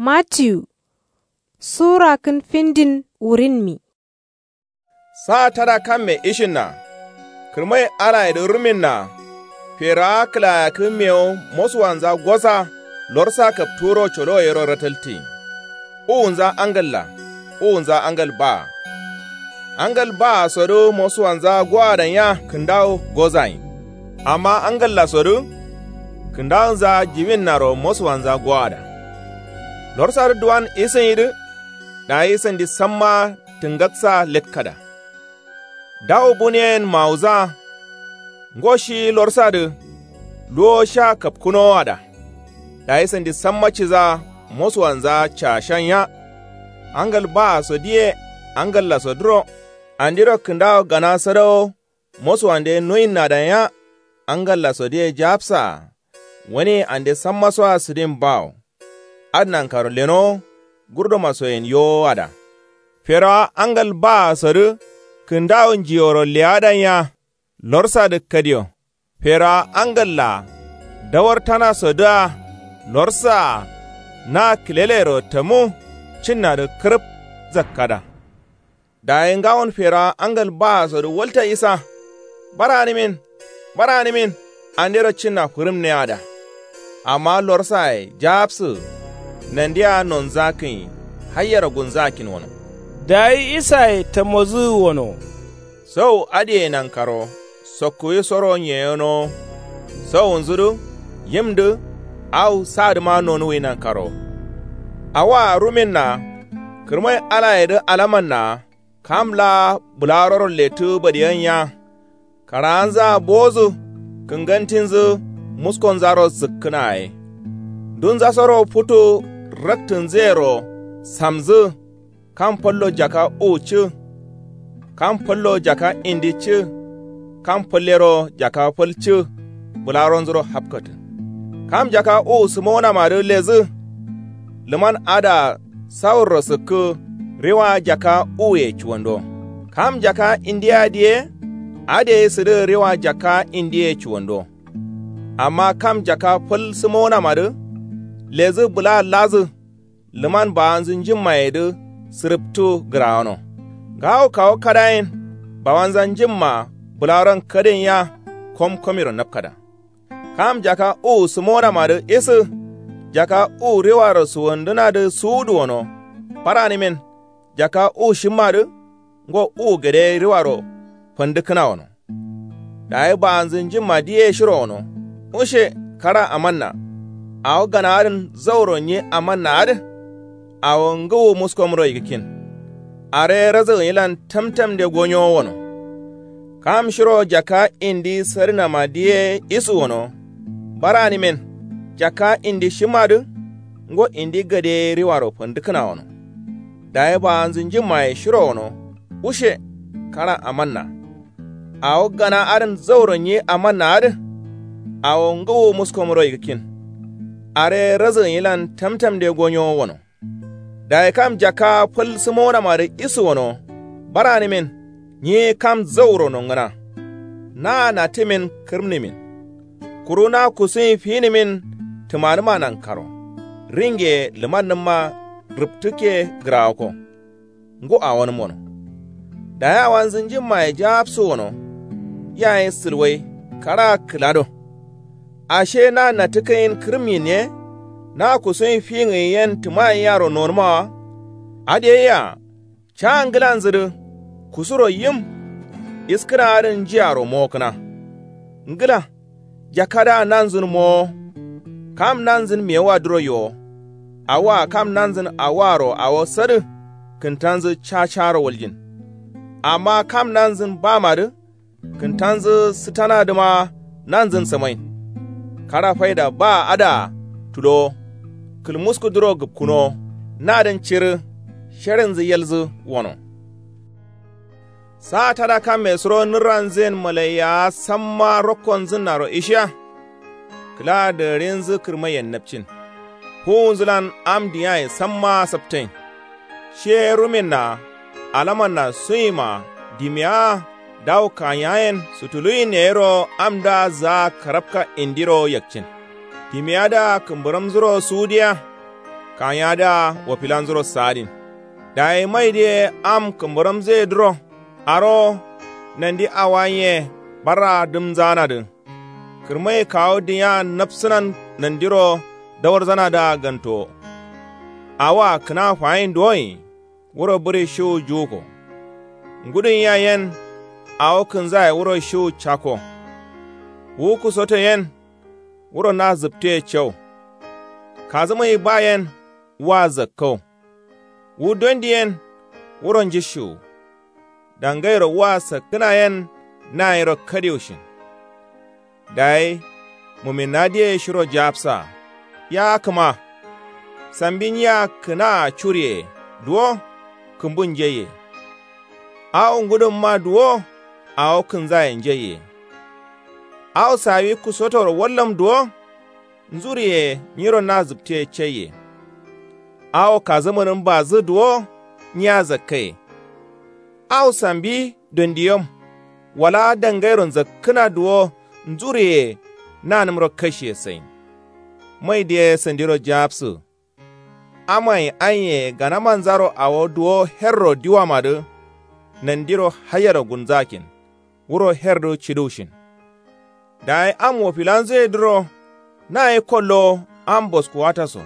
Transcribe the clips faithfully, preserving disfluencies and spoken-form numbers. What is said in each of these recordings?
Matiyu sura kǝn findin wurinmi. Sa tada kamme ishinna. Kǝrmai alayedǝ ruminna. Ferawa kǝlayakǝ mewu mosuwanza gosa. Lorsa kapturo colowo yero rataltin. Uwunza angalla. Uwunza angal baa. Angal baa sodǝ mosuwanza gowadan ya kǝndawu gozayin. Amma angallasodǝ kǝndawunza jiwinnaro mosuwanza gowada. Lorsadǝ duwan isǝnyidǝ. Dayi sandi samma tǝngaksa letkada. Dawu buniyen mawuza. Ngo shi lorsadǝ luwo sha kapkǝnowada. Dayi sandi samma ciza mosuwanza cashan ya. Angal baaso diye angallasodǝro. Andiro kǝndawo gana sadawo. Mosuwande noyinnadan ya. Angallasodiye japsaa. Wani ande sammasoa sǝdin bawo. Adǝ nankaro lenowo. Gurdomasoyen yowowada. Ferawa angal baa sodǝ kǝndawo njiyoro leyadan ya. Lorsadǝ kadiyo. Ferawa angalla. Dawartanasodǝa. Lorsaa. Na kǝlelero tamu. Cinnadǝ kǝrǝp zakkada. Dayi ngawon ferawa angal baasodu walta isa. Baranǝmin. Baranǝmin. Andero cinna fǝrǝmneyada. Amma lorsaye japsǝ. Nandiya nonzakǝnyi. Hayyero gunzakkin wono. Dayi isaye tamozǝ wono. Sau adǝye nankaro. Sokkuwi soro nyeyonowo. Sawunzudǝ. Yimdǝ. Au sadǝma nonuwi nankaro. Awoa ruminna. Kǝrmai alayedǝ alamanna. Kam laa bǝlaroro lettǝ badiyan ya. Karaanzaa bozǝ. Kǝngantinzǝ. Muskonzaro zǝkkǝna ye. Ndunzasoro futu. Raktǝnzǝyero. Samzǝ. Kam fallo jaka uwu cǝ. Kam fallo jaka indi cǝ. Kam fallero jaka fal cǝ. Bǝlaronzuro hapkatǝ. Kam jaka uwu sǝmonamadǝ lezǝ. Lǝman adǝa sawurro sǝkkǝ. Riwa jaka uwuye cuwando. Kam jaka indiya diye. Adǝ ye sǝdǝ riwa jaka indiye cuwando. Amma kam jaka fal sǝmonamadǝ. Lezǝ bǝla lazǝ. Lǝman bawanzǝ njimmayedǝ. Sǝrǝptu gǝrawono. Ngawo kawo kadayen. Bawanza njimma. Bǝlaron kadin ya. Komkomiro napkada. Kam jaka uwu sǝmonamadǝ isǝ. Jaka uwu riwaro suwandǝnadǝ suwuduwono. Baranǝmin. Jaka uwu shimmadǝ. Ngo uwu gade riwaro. Fandǝkkǝna wono. Dayi bawanzǝ njimma diye shiro wono. Ushe. Kara amanna. Awo gana adǝn zauro nyi amanna adǝ. Awo ngǝwu muskomro yigǝkkin. Are razǝgǝnyilan tamtamde gonyowo wono. Kam shiro jaka indi sadǝnama diye isǝ wono. Baranǝmin. Jaka indi shimmadǝ. Ngo indi gade riwaro fandǝkkǝna wono. Dayi bawanzǝ njimmaye shiro wono. Ushe. Kara amanna. Awo gana adǝn zauro nyi amanna adǝ. Awo ngǝwu muskomro yigǝkkin. Are razǝgǝnyilan tamtamde gonyowo wono. Dayi kam jaka fal sǝmonamadǝ isǝ wono. Baranǝmin. Nyi kam zauro nongǝna. Na natǝmin kǝrǝmnǝmin. Kuru na kusuyin finǝmin. Tǝmanǝma nankaro. Ringe lǝmannǝmma. Rǝptǝkke gǝrawokko. Ngu awonǝm wono. Dayi awanzǝ njimmaye japsǝ wono. Yayin sǝlwai. Kara kǝlado. Ashe na natǝkǝnyin kǝrǝmnyin ye. Na kusuyin fingǝnyi yen tǝmayin yaro nonǝma wa. Adǝ ye yea. Ca ngǝlanzǝ dǝ. Kusuro yim. Iskǝna adǝn njiyaro mokǝna. Ngǝla. Jakadǝa nanzǝn mowo. Kam nanzǝn mewuwa duro yowo. Awoa kam nanzǝn awoaro awo sadǝ. Kǝntanzǝ cacaro waljin. Amma kam nanzǝn bamadǝ. Kǝntanzǝ sǝtanadǝma nanzǝn samain. Kara faida ba adǝa tulowo. Kǝlmuskudǝro gǝpkǝnowo. Nadǝn cirǝ. Sherinzǝ yelzǝ wono. Sa tada kamme suro nǝrranzǝyen malaiyawa samma rokkonzǝnnaro ishiya. Kǝla dararinzǝ kǝrmaiyen napcin. Fuwunzǝlan am diyaye samma saptain. Shi ye ruminna alamanna suyima. Dimiyawa dawu kanyayen sutuluyin yayiro amdǝa zaa karapka indiro yakcin. Dimiyadǝa kǝmbǝramzuro suwudiya. Kanyadǝa wafilanzuro saadin. Dayi maidǝye am kǝmbǝramzǝyedǝro arowo nandi awayiye barraa dǝmzaanadǝ. Kǝrmaye kawu dǝnya napsǝnan nandiro dawarzanadǝa gantowo. Awoa kǝna fayin duwoyi wuro bǝri shiwu juwuko. Ngudunyiya yen awo kǝnzaye wuro shiwu cakko. Wu kusoto yen wuro na zǝptuye cau. Kazǝmai ba yen wa zakkau. Wu dondi yen wuro njishiwu. Dangairo wa sakkǝna yen nayero kadiwushin. Dayi muminadǝye shiro japsa. Ya kǝma sambi nyiya kǝnaa curiye duwo kǝmbun njaiye. Awo ngudunma duwo awo kǝnzaye njaiye. Awo sawi kusotoro wallum duwo nzuriye nyiro na zǝptiye caiye. Awo kazǝmǝnǝm bazǝ duwo nyiya zakkaye. Awo sambi dondiyom wala dangairo nzakkǝna duwo nzuriye nanǝmro kashiye sain. Maidǝye sandiro japsǝ. Amai anye ganamanzaro awo duwo herro diwamadǝ nandiro hayero gunzakin. Wuro herdǝ ciduwushin. Dayi am wofilanzuyedǝro naye kollowo am boskuwataso.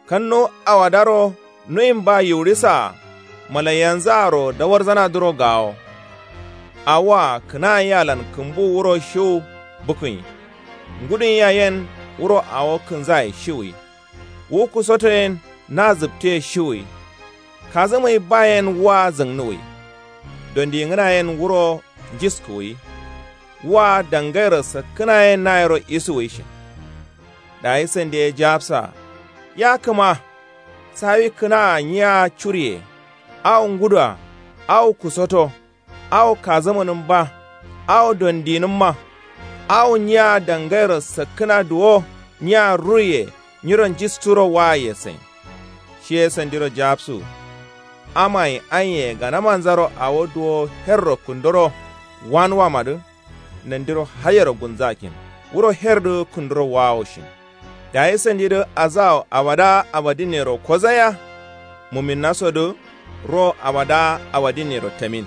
Kannu awadaro nuyin ba yiwurisaa malaiyanzǝaro dawarzanadǝro gawo. Awoa kǝnayialan kǝmbu wuro shiwu bǝkǝnyi. Ngudunyiya yen wuro awo kǝnzaye shiwuyi. Wu kusoto yen na zǝptuye shiwuyi. Kazǝmai ba yen wa zǝngnuwuyi. Dondingǝna yen wuro njiskuwuyi. Wa dangairo sakkǝna yen nayero isuwuyi shin. Dayi sandiye japsa. Ya kǝma sawi kǝnaa nyiya curiye. Awo ngudua awo kusoto. Awo kazǝmǝnǝm ba. Awo dondinǝmma. Awo nyiya dangairo sakkǝna duwo nyiya ruiye nyiro njisturo waaye sain. Shiye sandiro japsu. Amai anye ganamanzaro awo duwo herro kǝndoro wanuwamadǝ. Nandiro hayero gunzakin wuro herdǝ kǝndoro waawushin. Dayi sandidǝ azawo abada abadinnero kozaya. Muminnasodǝ ro abada abadinnero tamin.